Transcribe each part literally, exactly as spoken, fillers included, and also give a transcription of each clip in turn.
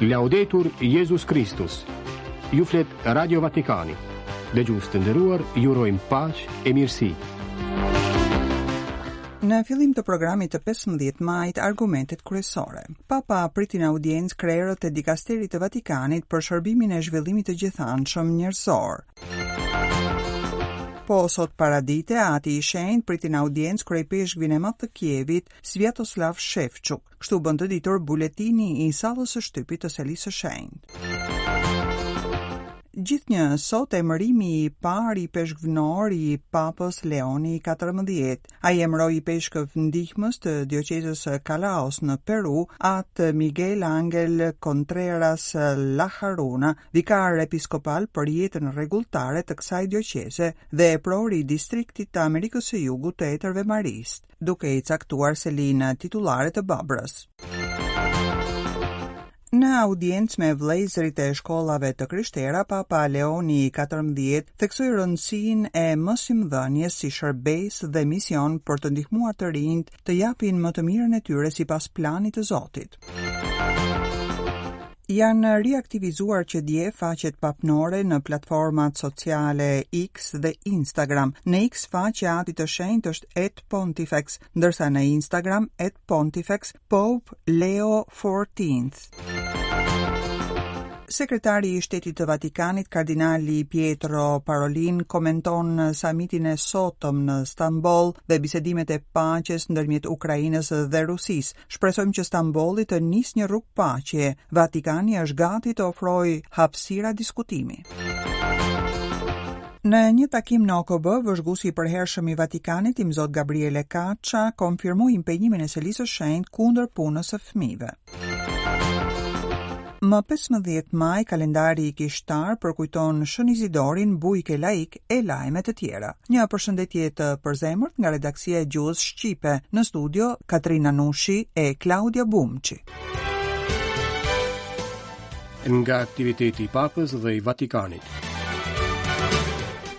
Laudetur Jezus Kristus. Ju flet Radio Vatikani. Dëgjues të nderuar, ju urojmë paqe e mirësi. Në fillim të programit të pesëmbëdhjetë majit, argumentet kryesore. Papa priti në audiencë krerët e dikasterit të Vatikanit për shërbimin e zhvillimit të gjithanshëm njerëzor. Po sot paradite, Ati i Shenjtë priti në audiencë kryepeshkvin e madh të Kievit, Sviatoslav Shevchuk. Kështu bën të ditur buletini i sallës së shtypit të Selisë së Shenjtë. Gjithnjë sot emërimi i parë i peshkvnor i Papës Leoni i katërmbëdhjetë. Ai emëroi peshkëv ndihmës të dioqezës së Callaos në Peru, atë Miguel Angel Contreras Lajaruna, vikar episkopal për jetën rregulltare të kësaj dioqeze dhe epror i distriktit të Amerikës së Jugut të Etërve Marist, duke i caktuar selinë titullare të Babrës. Në audiencë me vëllezërit e shkollave të krishtera, Papa Leoni i katërmbëdhjetë theksoi rëndësinë e mësimdhënies si shërbesë dhe mision për të ndihmuar të rinjt të japin më të mirën e tyre sipas planit të Zotit. Janë riaktivizuar që dje faqet papnore në platformat sociale X dhe Instagram. Në X faqja e Atit të Shenjtë është at Pontifex, ndërsa në Instagram at Pontifex Pope Leo fourteenth. Sekretari i Shtetit të Vatikanit, Kardinali Pietro Parolin, komenton samitin e sotëm në Stamboll dhe bisedimet e paqes ndërmjet Ukrainës dhe Rusisë. Shpresojmë që Stambolli të nisë një rrugë paqe. Vatikani është gati të ofrojë hapësira diskutimi. Në një takim në O K B, vëzhguesi i përhershëm i Vatikanit, Imzot Gabriele Caccia, konfirmoi impenjimin e Selisë së Shenjtë kundër punës së fëmijëve. Më pesëmbëdhjetë maj, kalendari i kishtar përkujton Shën Izidorin, bujk e laik e lajme të tjera. Një përshëndetje të përzemërt nga redaksia e gjuhës shqipe, në studio Katrina Nushi e Klaudia Bumçi. Nga aktiviteti i Papës dhe i Vatikanit.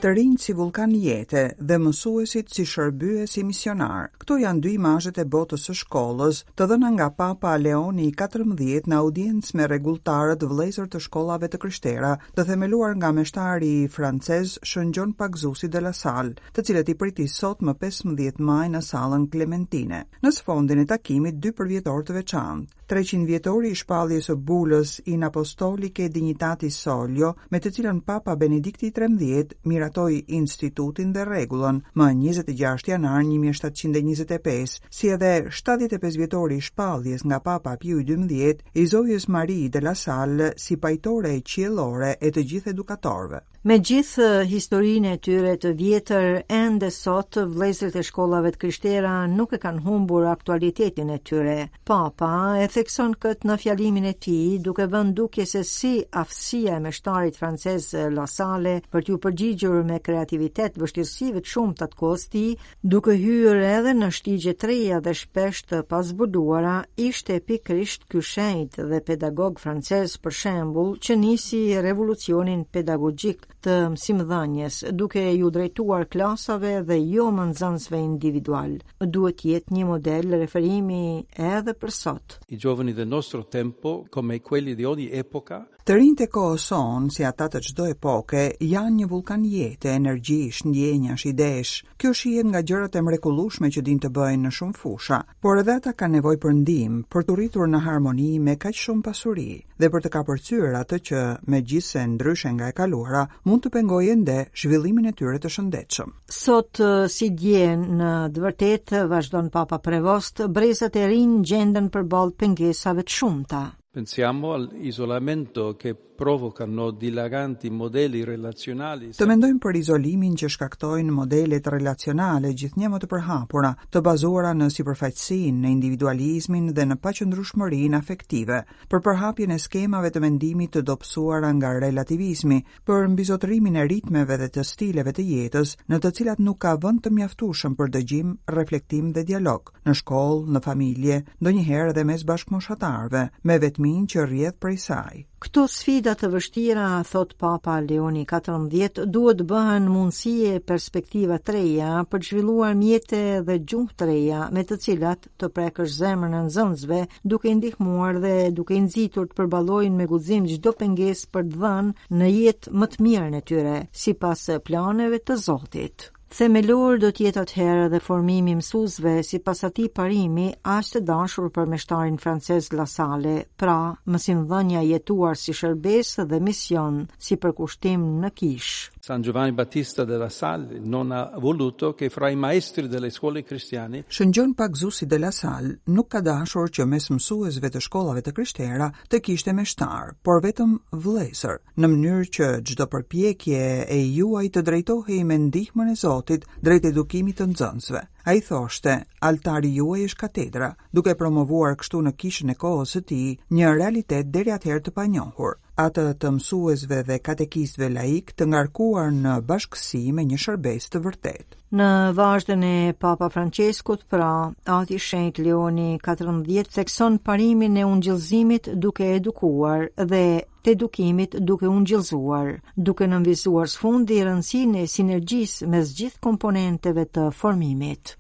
Të rinjt si vullkan jete dhe mësuesit si shërbyes si misionar. Këto janë dy imazhet e botës së shkollës, të dhëna nga Papa Leoni i katërmbëdhjetë në audiencë me rregulltarët vëllezër të shkollave të krishtera, të themeluar nga meshtari francez Shën Gjon Pagzusi de la Salle, të cilët i priti sot më pesëmbëdhjetë maj në sallën Klementine. Në sfondin e takimit dy përvjetor të veçantë. Treqind vjetori i shpalljes së bulës in Apostolicae Dignitatis Solio, me të cilën Papa Benedikti i trembëdhjetë miratoi institutin dhe rregullën më njëzet e gjashtë janar një mijë e shtatëqind e njëzet e pesë, si edhe shtatëdhjetë e pesë vjetori i shpalljes nga Papa Piu i dymbëdhjetë i Zojës Marie de la Salle si pajtore qiellore e të gjithë edukatorëve. Me gjithë historinë e tyre të vjetër, ende sot vëllezërit e shkollave të krishtera nuk e kanë humbur aktualitetin e tyre. Papa e thekson këtë në fjalimin e tij, duke vënë dukje se si aftësia e meshtarit francez La Salle për t'ju përgjigjur me kreativitet vështirësive të shumta të kohës tij, duke hyrë edhe në shtigje të reja dhe shpesh të pazbuluara, ishte pikërisht ky shenjt dhe pedagog francez për shembull që nisi revolucionin pedagogjik të mësimdhënies, duke ju drejtuar klasave dhe jo më nxënësve individual. Duhet jetë një model referimi edhe për sot. I giovani del nostro tempo, come quelli di ogni epoca, Të rinjtë e kohës sonë, si ata të çdo epoke, janë një vullkan jete, energjish, ndjenjash, idesh. Kjo shihet nga gjërat e mrekullueshme që dinë të bëjnë në shumë fusha, por edhe ata kanë nevojë për ndihmë, për t'u rritur në harmoni me kaq shumë pasuri dhe për të kapërcyer atë që, megjithse ndryshe nga e kaluara, mund të pengojë ende zhvillimin e tyre të shëndetshëm. Sot, si dje, në të vërtetë, vazhdon Papa Prevost, brezat e rinj gjenden përballë pengesave të shumta. Pensiamo all'isolamento che provocano dilaganti modelli relazionali. Të mendojmë për izolimin që shkaktojnë modelet relacionale gjithnjë më të përhapura, të bazuara në sipërfaqësinë, në individualizmin dhe në paqëndrueshmërinë afektive, për përhapjen e skemave të mendimit të dobësuara nga relativizmi, për mbizotërimin e ritmeve dhe të stileve të jetës, në të cilat nuk ka vend të mjaftueshëm për dëgjim, reflektim dhe dialog, në shkollë, në familje, ndonjëherë edhe mes bashkëmoshatarëve, me vetminë që rrjedh prej saj. Këto sfida të vështira, thot Papa Leoni katërmbëdhjetë, duhet bëhen mundësi e perspektiva të reja për të zhvilluar mjete dhe gjuhë të reja me të cilat të prekësh zemrën e nxënësve, duke i ndihmuar dhe duke i nxitur të përballojnë me guxim çdo pengesë për të dhënë në jetë më të mirën e tyre, sipas planeve të Zotit. Themelor do të jetë atëherë dhe formimi i mësuesve sipas atij parimi aq të dashur për meshtarin francez La Salle, pra mësimdhënia jetuar si shërbesë dhe mision, si përkushtim në kishë. San Giovanni Battista della Salle non ha voluto che fra i maestri delle scuole cristiane Shën Gjon Pagëzuesi de la Salle nuk ka dashur që mes mësuesve të shkollave të krishtera të kishte meshtar, por vetëm vëllezër, në mënyrë që çdo përpjekje e juaj të drejtohej me ndihmën e Zotit drejt edukimit të nxënësve. Ai thoshte, altari juaj është katedra, duke promovuar kështu në kishën e kohës së tij një realitet deri atëherë të panjohur, atë të mësuesve dhe katekistëve laik të ngarkuar në bashkësi me një shërbesë të vërtetë. Në vazhdën e Papa Franceskut, pra, Ati Shenjt Leoni katërmbëdhjetë thekson parimin e ungjillzimit duke edukuar dhe të edukimit duke ungjillzuar, duke nënvizuar së fundi rëndësinë e sinergjisë mes gjithë komponenteve të formimit.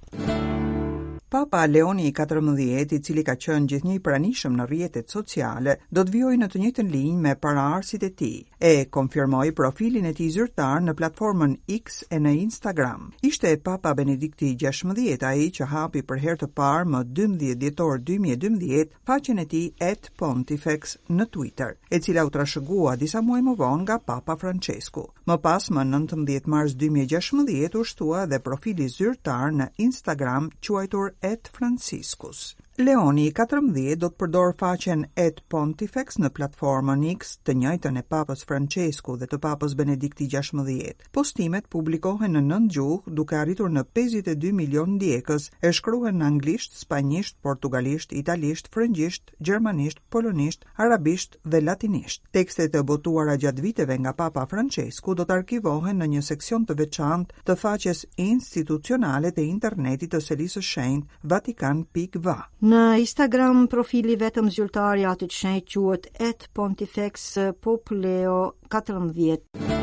Papa Leoni i katërmbëdhjetë, i cili ka qenë gjithnjë i pranishëm në rrjetet sociale, do të vijojë në të njëjtën linjë me paraardhësit e tij. E konfirmoi profilin e tij zyrtar në platformën X e në Instagram. Ishte Papa Benedikti i gjashtëmbëdhjetë ai që hapi për herë të parë më dymbëdhjetë dhjetor dy mijë e dymbëdhjetë faqen e tij at Pontifex në Twitter, e cila u trashëgua disa muaj më vonë nga Papa Francesku. Më pas, më nëntëmbëdhjetë mars dy mijë e gjashtëmbëdhjetë u shtua edhe profili zyrtar në Instagram quajtur at Franciscus. Leoni i katërmbëdhjetë do të përdorë faqen at Pontifex në platformën X, të njëjtën e Papës Francesku dhe të Papës Benedikti i gjashtëmbëdhjetë. Postimet publikohen në nëntë gjuhë, duke arritur në pesëdhjetë e dy milion ndjekës, e shkruhen në anglisht, spanjisht, portugalisht, italisht, frëngjisht, gjermanisht, polonisht, arabisht dhe latinisht. Tekstet e botuara gjatë viteve nga Papa Francesku do të arkivohen në një seksion të veçantë të faqes institucionale të internetit të Selisë së Shenjtë, Vatikan pikë va. Në Instagram, profili vetëm zyrtar i Atit Shenjt quhet at Pontifex Pop Leo katërmbëdhjetë.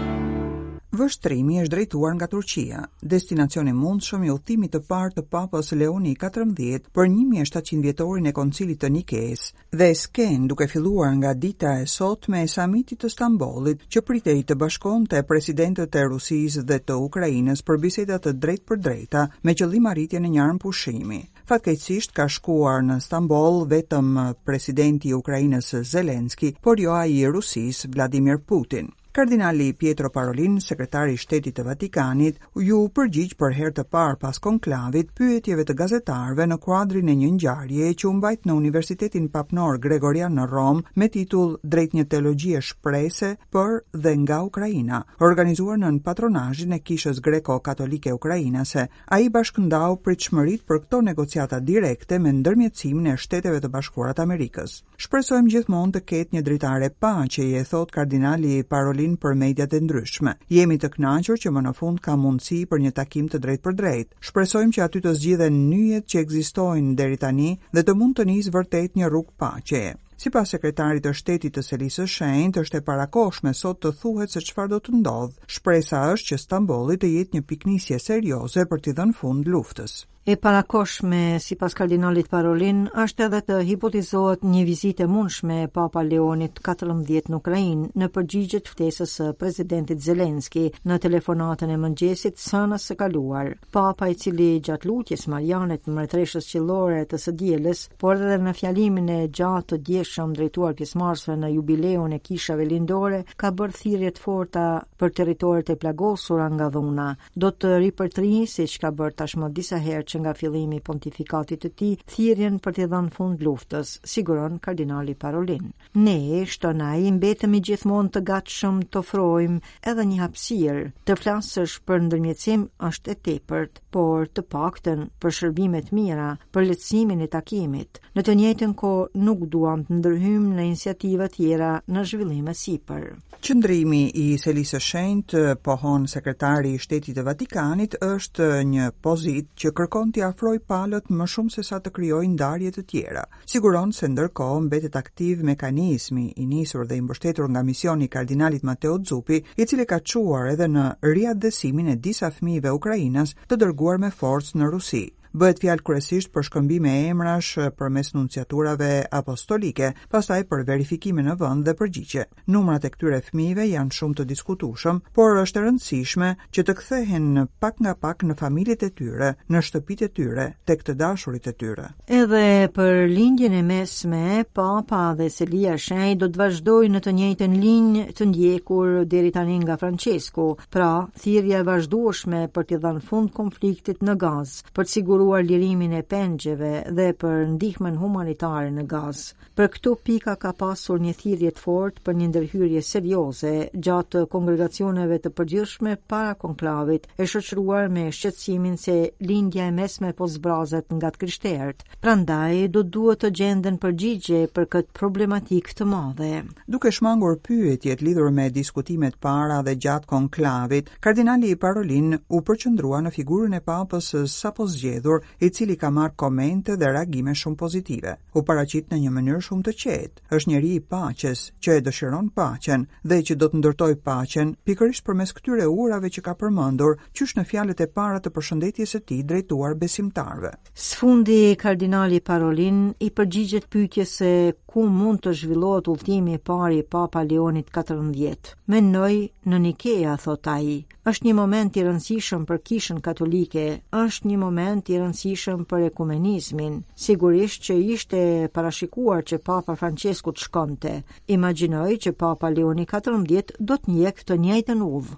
Vështrimi është drejtuar nga Turqia, destinacion i mundshëm i udhëtimit të parë të Papës Leoni i katërmbëdhjetë për një mijë e shtatëqind vjetorin e Koncilit të Nikes dhe sken duke filluar nga dita e sotme e samitit të Stambollit, që pritej të bashkonte presidentët e Rusisë dhe të Ukrainës për biseda të drejtpërdrejta me qëllim arritjen e një armëpushimi. Fatkeqësisht ka shkuar në Stamboll vetëm presidenti i Ukrainës Zelenski, por jo ai i Rusisë Vladimir Putin. Kardinali Pietro Parolin, sekretari i Shtetit të Vatikanit, ju përgjigj për herë të parë pas konklavit pyetjeve të gazetarëve në kuadrin e një ngjarjeje që u mbajt në Universitetin Papnor Gregorian në Romë me titull Drejt një teologjie shprese për dhe nga Ukraina, organizuar nën patronazhin e Kishës Greko-Katolike Ukrainase. Ai bashkëndau pritshmëritë për këto negociata direkte me ndërmjetësimin e Shteteve të Bashkuara të Amerikës. Shpresojmë gjithmonë të ketë një dritare paqeje, thot kardinali Parolin për mediat e ndryshme. Jemi të kënaqur që më në fund ka mundësi për një takim të drejtpërdrejtë. Shpresojmë që aty të zgjidhen nyjet që ekzistojnë deri tani dhe të mund të nisë vërtet një rrugë paqeje. Sipas sekretarit të shtetit të Selisë së Shenjtë, është e parakohshme sot të thuhet se çfarë do të ndodhë. Shpresa është që Stambolli të jetë një piknisje serioze për t'i dhënë fund luftës. E parakohshme, sipas kardinalit Parolin, është edhe të hipotizohet një vizitë e mundshme e Papa Leonit katërmbëdhjetë në Ukrainë në përgjigje të ftesës së presidentit Zelenski në telefonatën e mëngjesit sënës së kaluar. Papa, i cili gjatë lutjes Mariane të Mbretëreshës Qiellore të së dielës, por edhe në fjalimin e gjatë të djeshëm drejtuar pjesëmarrësve në jubileun e kishave lindore, ka bërë thirrje të forta për territoret e plagosura nga dhuna. Do të ripërtrijë, siç ka bërë tashmë disa herë që nga fillimi i pontifikatit të tij, thirrjen për t'i dhënë fund luftës, siguron kardinali Parolin. Ne, shton ai, mbetemi gjithmonë të gatshëm të ofrojmë edhe një hapësirë. Të flasësh për ndërmjetësim është e tepërt, por të paktën për shërbime të mira, për lehtësimin e takimit. Në të njëjtën kohë nuk duam të ndërhyjmë në iniciativa tjera në zhvillim e sipër. Qëndrimi i Selisë së Shenjtë, pohon sekretari i Shtetit të Vatikanit, është një pozitë që kërkon t'i afrojë palët më shumë se sa të krijojë ndarje të tjera. Siguron se ndërkohë mbetet aktiv mekanizmi i nisur dhe i mbështetur nga misioni i kardinalit Matteo Zuppi, i cili ka çuar edhe në riatdhesimin e disa fëmijëve ukrainas të dërguar me forcë në Rusi. Bëhet fjalë kryesisht për shkëmbime emrash përmes nunciaturave apostolike, pastaj për verifikime në vend dhe përgjigje. Numrat e këtyre fëmijëve janë shumë të diskutueshëm, por është e rëndësishme që të kthehen pak nga pak në familjet e tyre, në shtëpitë e tyre, tek të dashurit e tyre. Edhe për lindjen e mesme, Papa dhe Selia e Shenjtë do të vazhdojnë në të njëjtën linjë të ndjekur deri tani nga Francesku, pra thirrja e vazhdueshme për t'i dhënë fund konfliktit në Gazë, për të siguruar lirimin e pengjeve dhe për ndihmën humanitare në Gazë. Për këto pika ka pasur një thirrje të fortë për një ndërhyrje serioze gjatë kongregacioneve të përgjithshme para konklavit, e shoqëruar me shqetësimin se lindja e mesme po zbrazet nga të krishterët. Prandaj do duhet të gjenden përgjigje për këtë problematikë të madhe. Duke shmangur pyetjet lidhur me diskutimet para dhe gjatë konklavit, kardinali Parolin u përqendrua në figurën e papës sapo zgjedhur, i cili ka marrë komente dhe reagime shumë pozitive. U paraqit në një mënyrë shumë të qetë. Është njeri i paqes, që e dëshiron paqen dhe që do të ndërtojë paqen pikërisht përmes këtyre urave që ka përmendur, qysh në fjalët e para të përshëndetjes së tij drejtuar besimtarëve. Së fundi, kardinali Parolin i përgjigjet pyetjes se ku mund të zhvillohet udhëtimi i parë i Papa Leonit katërmbëdhjetë. Mendoj në Nikea, thot ai. Është një moment i rëndësishëm për Kishën Katolike, është një moment i rëndësishëm për ekumenizmin. Sigurisht që ishte parashikuar që Papa Francesku të shkonte. Imagjinoj që Papa Leoni katërmbëdhjetë do të ndjekë të njëjtën udhë.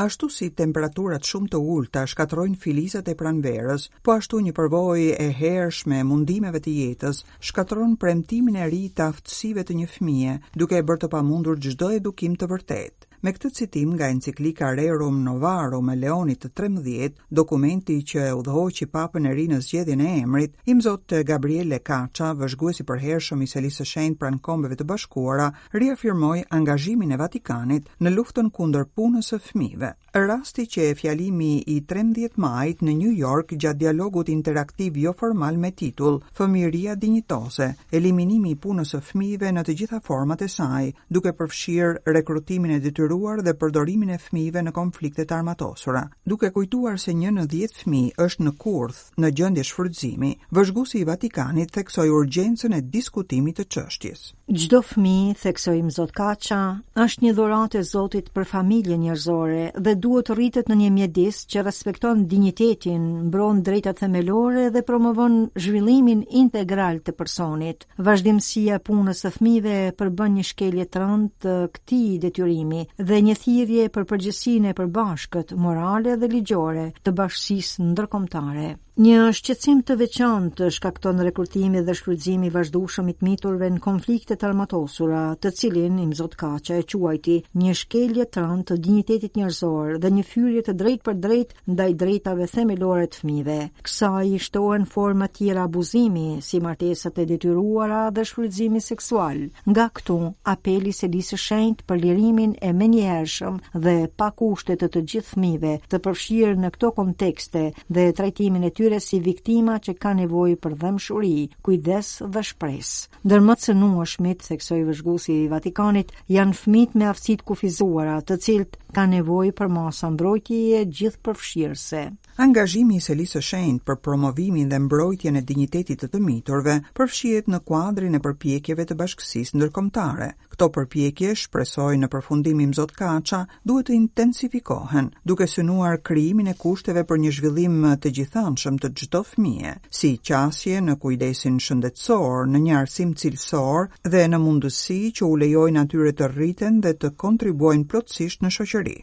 Ashtu si temperaturat shumë të ulta shkatërrojnë filizat e pranverës, po ashtu një përvojë e hershme e mundimeve të jetës shkatërron premtimin e ri të aftësive të një fëmije, duke e bërë të pamundur çdo edukim të vërtetë. Me këtë citim nga enciklika Rerum Novarum e Leonit të trembëdhjetë, dokumenti që e udhëhoqi Papën e ri në zgjedhjen e emrit, Imzot Gabriele Caccia, vëzhguesi i përhershëm i Selisë së Shenjtë pranë Kombeve të Bashkuara, riafirmoi angazhimin e Vatikanit në luftën kundër punës së fëmijëve. Rasti që e fjalimi i trembëdhjetë majit në New York gjatë dialogut interaktiv joformal me titull Fëmijëria dinjitoze, eliminimi i punës së fëmijëve në të gjitha format e saj, duke përfshirë rekrutimin e detyruar dhe përdorimin e fëmijëve në konflikte të armatosura. Duke kujtuar se një në dhjetë fëmijë është në kurth, në gjendje shfrytëzimi, vëzhguesi i Vatikanit theksoi urgjencën e diskutimit të çështjes. Çdo fëmijë, theksoi Imzot Caccia, është një dhuratë e Zotit për familjen njerëzore dhe duhet të rritet në një mjedis që respekton dinjitetin, mbron drejtat themelore dhe promovon zhvillimin integral të personit. Vazhdimësia e punës së fëmijëve përbën një shkelje të rëndë të këtij detyrimi dhe një thirrje për përgjegjësinë e përbashkët, morale dhe ligjore të bashkësisë ndërkombëtare. Një shqetësim të veçantë shkakton rekrutimi dhe shfrytëzimi i vazhdueshëm i të miturve në konflikte të armatosura, të cilin Imzot Caccia e quajti një shkelje të rëndë të dinjitetit njerëzor dhe një fyrje të drejtë për drejtë ndaj drejtave themelore të fëmijëve. Kësaj i shtohen forma tjera abuzimi, si martesat e detyruara dhe shfrytëzimi seksual. Nga këtu, apeli i Selisë së Shenjtë për lirimin e menjëhershëm dhe pa kushte të të gjithë fëmijëve të përfshirë në këto kontekste dhe trajtimin e tyre si viktima që ka nevojë për dhembshuri, kujdes dhe shpresë. Ndër më të cënueshmit, theksoi vëzhguesi i Vatikanit, janë fëmijët me aftësi të kufizuara, të cilët kanë nevojë për masa mbrojtjeje gjithëpërfshirëse. Angazhimi i Selisë së Shenjtë për promovimin dhe mbrojtjen e dinjitetit të të miturve përfshihet në kuadrin e përpjekjeve të bashkësisë ndërkombëtare. Këto përpjekje, shpresoj në përfundim Imzot Caccia, duhet të intensifikohen, duke synuar krijimin e kushteve për një zhvillim të gjithanshëm të çdo fëmije, si qasje në kujdesin shëndetësor, në një arsim cilësor dhe në mundësi që u lejojnë atyre të rriten dhe të kontribuojnë plotësisht në shoqëri.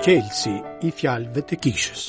Çelësi i fjalëve të kishës.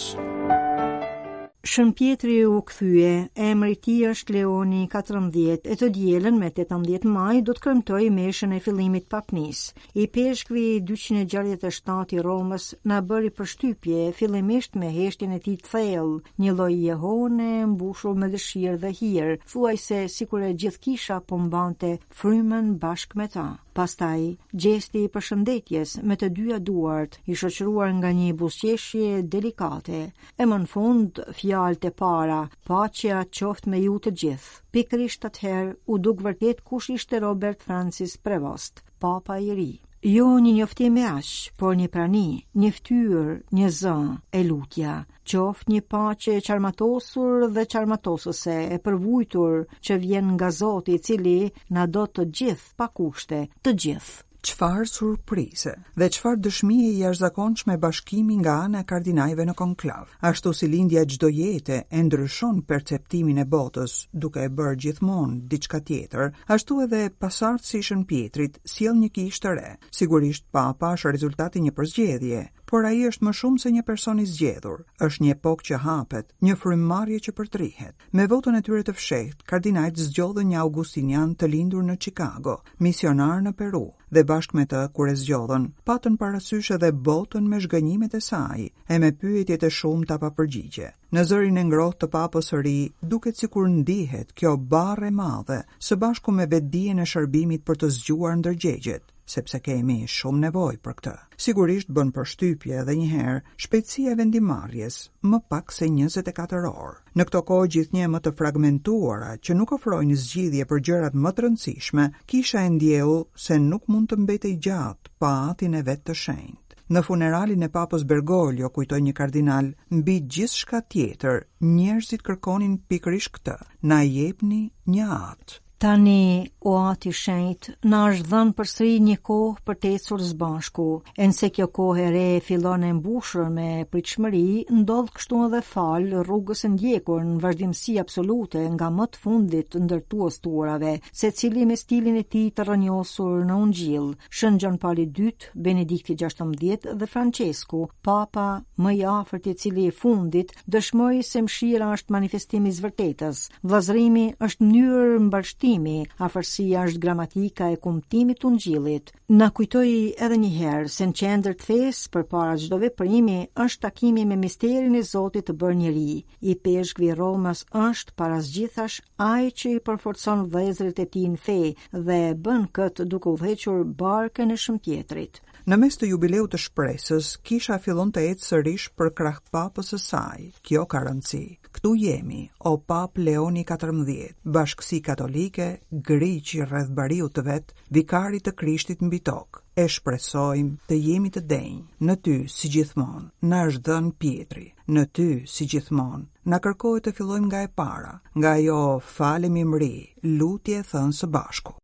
Shën Pjetri u kthye, emri i tij është Leoni i katërmbëdhjetë, e të dielën me tetëmbëdhjetë maj do të kremtojë meshën e fillimit papnis. Ipeshkvi dyqind e gjashtëdhjetë e shtatë i Romës na bëri përshtypje fillimisht me heshtjen e tij të thellë, një lloj jehone mbushur me dëshirë dhe hir, thuajse sikur e gjithë kisha po mbante frymën bashkë me ta. Pastaj, gjesti i përshëndetjes me të dyja duart, i shoqëruar nga një buzëqeshje delikate, e më në fund fjalët e para, paqja qoftë me ju të gjithë. Pikërisht atëherë u duk vërtet kush ishte Robert Francis Prevost, papa i ri. Jo një njoftim e aq, por një prani, një fytyrë, një zë e lutja, qoftë një paqe e çarmatosur dhe çarmatosëse, e përvujtur që vjen nga Zoti, i cili na do të gjithë pa kushte, të gjithë. Çfarë surprize dhe çfarë dëshmie e jashtëzakonshme bashkimi nga ana e kardinajve në konklav. Ashtu si lindja e çdo jete e ndryshon perceptimin e botës, duke e bërë gjithmonë diçka tjetër, ashtu edhe pasardhësi i Shën Pjetrit sjell një kishë të re. Sigurisht Papa është rezultati i një përzgjedhje, por ai është më shumë se një person i zgjedhur. Është një epokë që hapet, një frymëmarrje që përtrihet. Me votën e tyre të fshehtë, kardinajt zgjodhën një augustinian të lindur në Chicago, misionar në Peru, dhe bashkë me të kur e zgjodhën, patën parasysh edhe botën me zhgënjimet e saj e me pyetjet e shumta pa përgjigje. Në zërin e ngrohtë të papës së ri, duket sikur ndihet kjo barrë e madhe, së bashku me vetdijen e shërbimit për të zgjuar ndërgjegjet, sepse kemi shumë nevojë për këtë. Sigurisht bën përshtypje edhe një herë shpejtësia e vendimmarrjes, më pak se njëzet e katër orë. Në këto kohë gjithnjë më të fragmentuara që nuk ofrojnë zgjidhje për gjërat më të rëndësishme, kisha e ndjeu se nuk mund të mbetej gjatë pa atin e vet të shenjtë. Në funeralin e Papës Bergoglio, kujtoi një kardinal, mbi gjithçka tjetër, njerëzit kërkonin pikërisht këtë: na jepni një atë. Tani, o ati shenjt, na është dhënë përsëri një kohë për të ecur së bashku, e nëse kjo kohë e re fillon e mbushur me pritshmëri, ndodh kështu edhe fal rrugës së ndjekur në vazhdimësi absolute nga më të fundit ndërtues të urave, secili me stilin e tij të rrënjosur në Ungjill, Shën Gjon Pali i dytë, Benedikti gjashtëmbëdhjetë dhe Francesku, papa më i afërt i cili i fundit dëshmoi se mëshira është manifestimi i së vërtetës, vëllazërimi është mënyrë mbarështimi, afërsia është gramatika e kumtimit të Ungjillit. Na kujtoi edhe një herë se në qendër të fesë përpara çdo veprimi është takimi me misterin e Zotit të bërë njeri. Ipeshkvi i Romës është para së gjithash ai që i përforcon vëllezërit e tij në fe dhe bën këtë duke udhëhequr barkën e Shën Pjetrit. Në mes të jubileut të shpresës, kisha fillon të ecë sërish për krah papës së saj. Kjo ka rëndësi. Këtu jemi, o Pap Leoni katërmbëdhjetë, bashkësi katolike, griqi rreth bariut të vet, vikarit të Krishtit mbi tokë. E shpresojmë të jemi të denjë. Në ty, si gjithmonë, na është dhënë Pjetri. Në ty, si gjithmonë, na kërkohet të fillojmë nga e para, nga ajo falemi mri, lutje e thënë së bashku.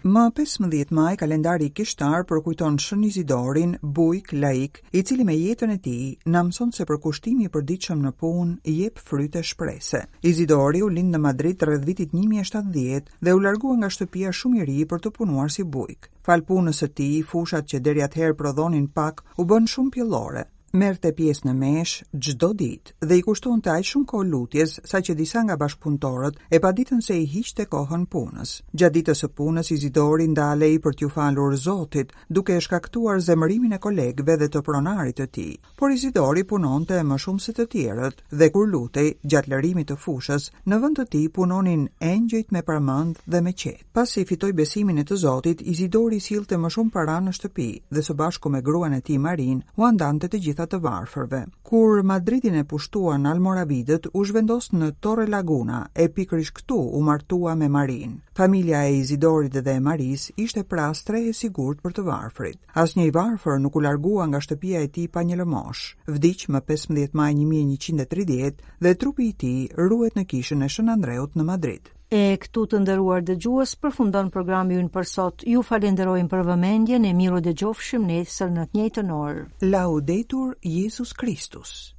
Më pesëmbëdhjetë maj, kalendari kishtar përkujton Shën Izidorin, bujk laik, i cili me jetën e tij na mëson se përkushtimi i përditshëm në punë jep fryte shprese. Izidori u lind në Madrid rreth vitit një mijë e shtatëdhjetë dhe u largua nga shtëpia shumë i ri për të punuar si bujk. Fal punës së tij, fushat që deri atëherë prodhonin pak u bën shumë pjellore. Merrte pjesë në mesh çdo ditë dhe i kushtonte aq shumë kohë lutjes saqë disa nga bashkëpunëtorët e paditën se i hiqte kohën punës. Gjatë ditës së punës Izidori ndalej për t'ju falur Zotit, duke e shkaktuar zemërimin e kolegëve dhe të pronarit të tij. Por Izidori punonte më shumë se të tjerët dhe kur lutej gjatë lërimit të fushës, në vend të tij punonin engjëjt me parmend dhe me qetë. Pasi fitoi besimin e të Zotit, Izidori sillte më shumë para në shtëpi dhe së bashku me gruan e tij Marin ua ndante të gjitha të varfërve. Kur Madridin e pushtuan Almoravidët, u zhvendos në Torre Laguna e pikërisht këtu u martua me Marin. Familja e Izidorit dhe e Marisë ishte pra strehë e sigurt për të varfrit. Asnjë i varfër nuk u largua nga shtëpia e tij pa një lëmosh. Vdiq më pesëmbëdhjetë maj një mijë e njëqind e tridhjetë dhe trupi i tij ruhet në kishën e Shën Andreut në Madrid. E këtu të nderuar dëgjues përfundon programi ynë për sot. Ju falenderojmë për vëmendjen e miru dëgjofshim nesër në të njëjtën orë. Laudetur Jezus Kristus.